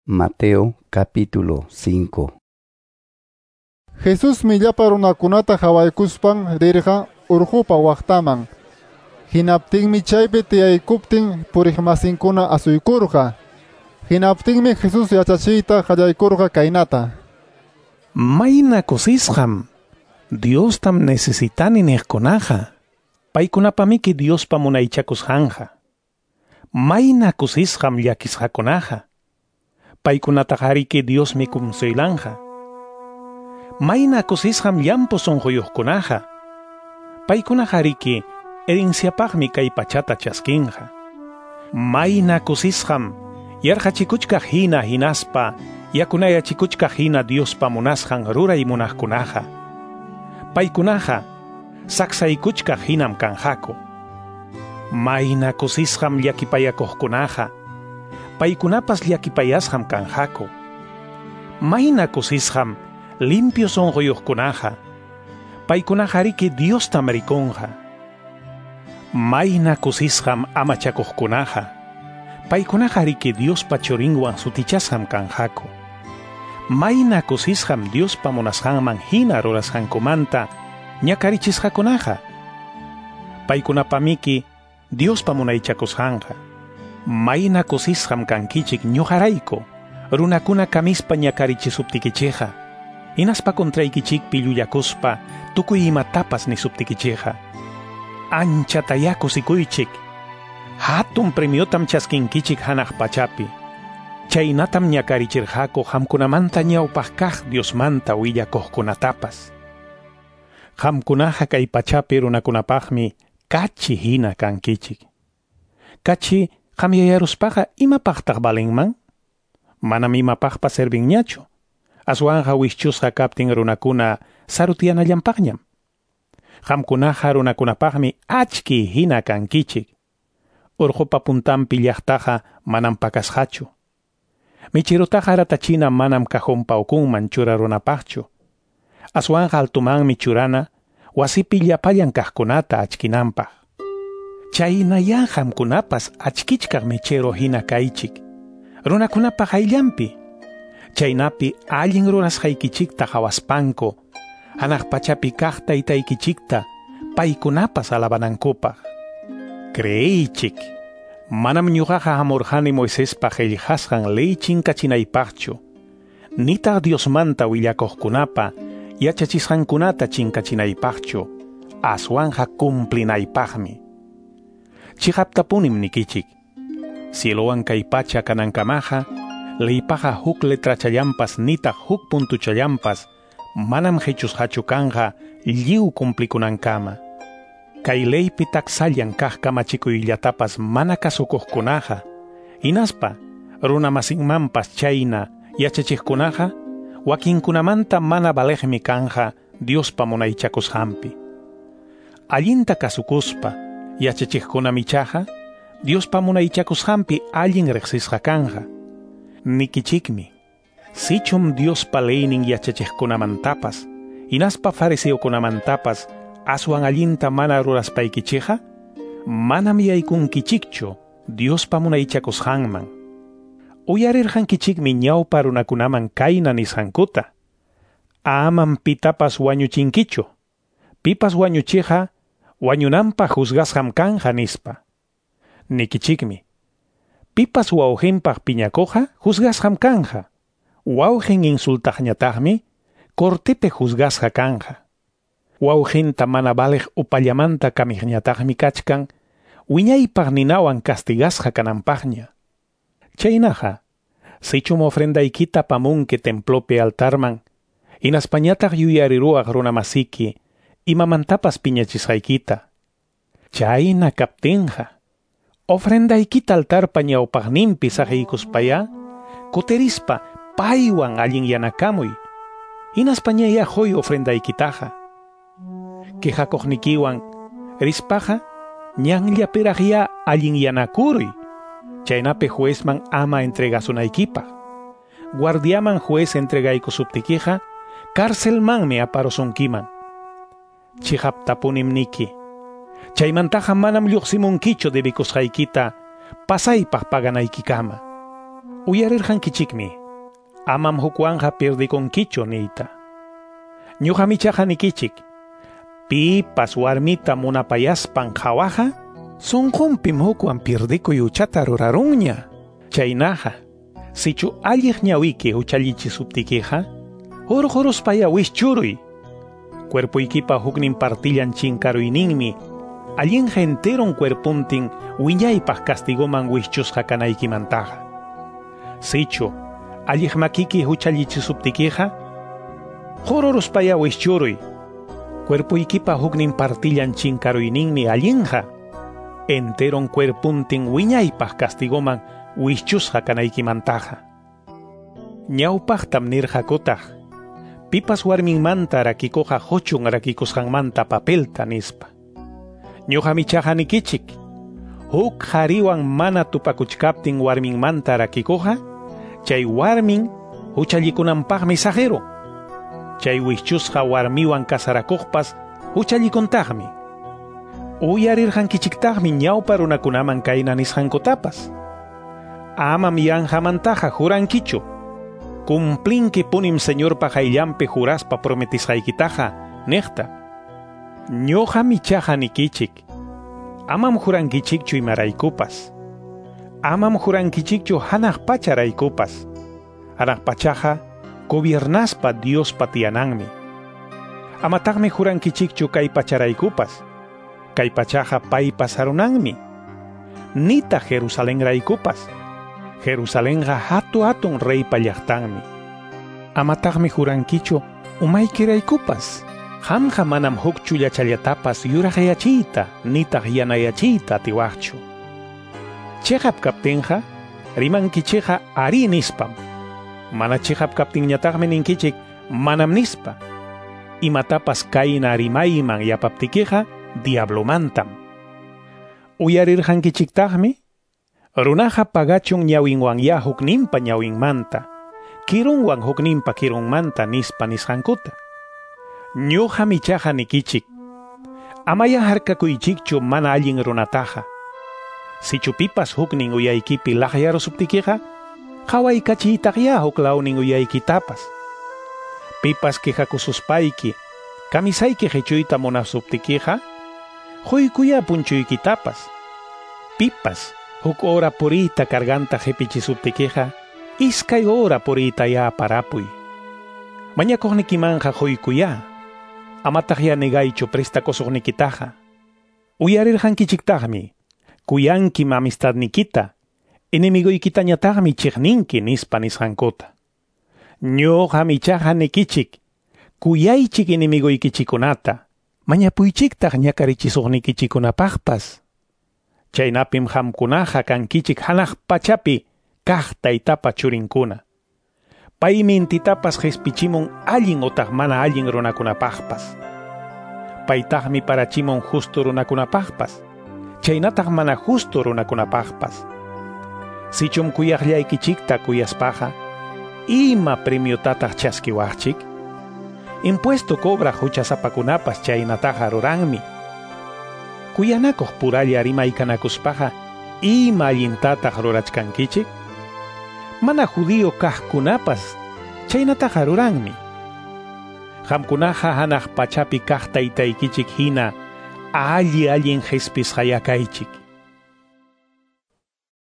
Mateo capítulo 5. Jesusmi llapa runakunata hawaykuspan rirqa urqupa waqtaman. Hinaptinmi chaypi tiyaykuptin puriqmasinkuna asuykurqa. Hinaptinmi Jesús yachachiyta qallaykurqa kaynata. Mayna kusisqam Diostam necesitani niqkunaqa. Paykunapamiki Diospa munaychakusqanqa. Mayna kusisqam llakisqakunaqa. Paykunataqariki Diosmi kumsuylanqa. Mayna kusisqam llampu sunquyuqkunaqa. Paykunaqariki herenciapaqmi kay pachata chaskinqa. Mayna kusisqam yarqachikuchkaq hina hinaspa yakunayachikuchkaq hina Diospa munasqan ruray munaqkunaqa. Paykunaqa saksaykuchkaq hinam kanqaku. Mayna kusisqam llakipayakuqkunaqa. Paykunapas llakipayasqam kanqaku. Mayna kusisqam limpio sunquyuqkunaqa. Paykunaqariki Diostam rikunqa. Mayna kusisqam amachakuqkunaqa. Paykunaqariki Diospa churinwan sutichasqam kanqaku. Mayna kusisqam Diospa munasqanman hina rurasqankumanta ñakarichisqakunaqa. Paykunapamiki Diospa munaychakusqanqa. Mayna kusisqam kankichik ñuqarayku, runakuna kamispa ñakarichisuptikichikqa, hinaspa contraykichikpi llullakuspa tukuy imatapas nisuptikichikqa. Anchatayá kusikuychik, hatun premiotam chaskinkichik hanaq pachapi. Chaynatam ñakarichirqaku qamkunamanta ñawpaq kaq Diosmanta willakuqkunatapas. Qamkunaqa kay pachapi runakunapaqmi kachi hina kankichik. Kachi qamyayaruspaqa imapaqtaq valinman? Manam imapaqpas servinñachu. Aswanqa wischusqa kaptin runakuna sarutiyanallanpaqñam. Qamkunaqa runakunapaqmi achki hina kankichik. Urqupa puntanpi llaqtaqa manam pakasqachu. Michirutaqa ratachina manam cajonpa ukunman churarunapaqchu. Aswanqa altumanmi churana wasipi llapallan kaqkunata achkinanpaq. Chaynayá qamkunapas achkichkaq mechero hina kaychik. Runakunapaq ayllanpi. Chaynapi allin rurasqaykichikta qhawaspanku, hanaq pachapi kaq taytaykichikta paykunapas alabanankupaq. Creeychik, manam ñuqaqa hamurqani Moisespa qillqasqan ley chinkachinaypaqchu, nitaq Diosmanta willakuqkunapa yachachisqankunata chinkachinaypaqchu, aswanqa cumplinaypaqmi. Chiqaptapunim nikichik, cielowan kay pacha kanankamaqa, leypaqa huk letrachallanpas nitaq huk puntuchallanpas manam qichusqachu kanqa lliw cumplikunankama. Kay leypi taksallan kaq kamachikuyllatapas mana kasukuqkunaqa, hinaspa runamasinmanpas chayna yachachiqkunaqa, wakinkunamanta mana valeqmi kanja Diospa munaychakusqanpi. Allinta kasukuspa yachachiqkunam ichaqa Diospa munaychakusqanpi allin riqsisqa kanja. Nikichikmi, sichum Diospa leynin yachachiqkunamantapas, hinaspa fariseokunamantapas aswan allinta mana ruraspaykichikqa, manam yaykunkichikchu Diospa munaychakusqanman. Uyarirqankichikmi ñawpa runakunaman kayna nisqankuta. Amam pitapas wañuchinkichu. Pipas wañuchiqa wañunanpaq juzgasqam kanja nispa. Nikichikmi, pipas wawqinpaq piñakuqqa juzgasqam kanja. Wawqin insultaqñataqmi cortepi juzgasqa kanja. Wawqinta mana valeq upallamanta kamiqñataqmi kachkan wiñaypaq ninawan castigasqa kananpaqña. Chaynaqa, sichum ofrendaykita apamunki templopi altarman, hinaspañataq yuyariruwaq runamasiki imamantapas piñachisqaykita. Chayna kaptinqa, ofrendaykita altarpa ñawpaqninpi saqiykuspayá, kutirispa paywan allinyanakamuy, hinaspañayá huy ofrendaykitaqa. Quejakuqnikiwan rispaqa ñanllapiraqyá allinyanakuruy, chaynapi juezman ama entregasunaykipaq. Guardiaman juez entregaykusuptikiqa, carcelmanmi aparusunkiman. Chiqaptapunim niki, chaymantaqa manam lluqsimunkichu debikusqaykita pasaypaq paganaykikama. Uyarirqankichikmi, amam hukwanqa pirdikunkichu niyta. Ñuqam ichaqa nikichik, pipas warmita munapayaspan qhawaqa, sunqunpim hukwan pirdikuy huchata rurarunña. Chaynaqa, sichu alliq ñawiki huchallichisuptikiqa, hurquruspaya wischuruy. Cuerpuykipa huknin partillan chinkaruyninmi, allinqa enteron cuerpuntin wiñaypaq castigoman wischusqa kanaykimantaqa. Sichu alliq makiki huchallichisuptikiqa, hururuspaya wischuruy. Cuerpuykipa huknin partillan chinkaruyninmi allinqa, enteron cuerpuntin wiñaypaq castigoman wischusqa kanaykimantaqa. Ñawpaqtam nirqakutaq, pipas warminmanta rakikuqa huchun rakikusqanmanta papelta nispa. Ñuqam ichaqa nikichik, huk qhariwan mana tupakuchkaptin warminmanta rakikuqa, chay warmin huchallikunanpaqmi saqirun. Chay wischusqa warmiwan kasarakuqpas huchallikuntaqmi. Uyarirqankichiktaqmi ñawpa runakunaman kayna nisqankutapas. Amam yanqamantaqa jurankichu. Cumplinki punim Señorpa qayllanpi juraspa prometisqaykitaqa niqta. Ñuqam ichaqa nikichik, amam jurankichikchu imaraykupas. Amam jurankichikchu hanaq pacharaykupas. Hanaq pachaqa gobiernaspa Diospa tiyananmi. Amataqmi jurankichikchu kay pacharaykupas. Kay pachaqa paypa sarunanmi. Nitaq Jerusalenraykupas. Jerusalenqa hatu hatun reypa llaqtanmi. Amataqmi jurankichu umaykiraykupas. Qamqa manam huk chullachallatapas yuraqyachiyta nitaq yanayachiyta atiwaqchu. Chiqap kaptinqa rimankichikqa ari nispam. Mana chiqap kaptinñataqmi ninkichik manam nispa. Imatapas kayna rimayman yapaptikiqa diablomantam. Uyarirqankichiktaqmi, runaqa pagachun ñawinwanya hukninpa ñawinmanta, kirunwan hukninpa kirunmanta nispa nisqankuta. Ñuqam ichaqa nikichik, amaya harkakuychikchu mana allin runataqa. Sichu pipas huknin uyaykipi laqyarusuptikiqa, qawaykachiytaqya huk lawnin uyaykitapas. Pipas quejakususpayki, kamisayki qichuyta munasuptikiqa, quykuya punchuykitapas. Pipas huk hora puriyta carganta qipichisuptikiqa, iskay hora puriytaya parapuy. Mañakuqnikimanqa quykuya, amataqya negaychu prestakusuqnikitaqa. Uyarirqankichiktaqmi, kuyankim amistadnikita, enemigoykitañataqmi chiqninki nispa nisqankuta. Ñuqam ichaqa nikichik, kuyaychik enemigoykichikunata, mañapuychiktaq ñakarichisuqnikichikunapaqpas. Chaynapim qamkunaqa kankichik hanaq pachapi kaq taytapa churinkuna. Paymi intitapas qispichimun allin otaq mana allin runakunapaqpas. Paytaqmi parachimun justo runakunapaqpas, chaynataq mana justo runakunapaqpas. Sichum kuyaqllaykichikta kuyaspaqa, ima premiotataq chaskiwaqchik? Impuesto cobraq huchasapakunapas chaynataqa ruranmi. Kuyanakuq puralla rimaykanakuspaqa, ima allintataq rurachkankichik? Mana judío kaqkunapas chaynataqa ruranmi. Qamkunaqa hanaq pachapi kaq taytaykichik hina alli allin qispisqaya kaychik.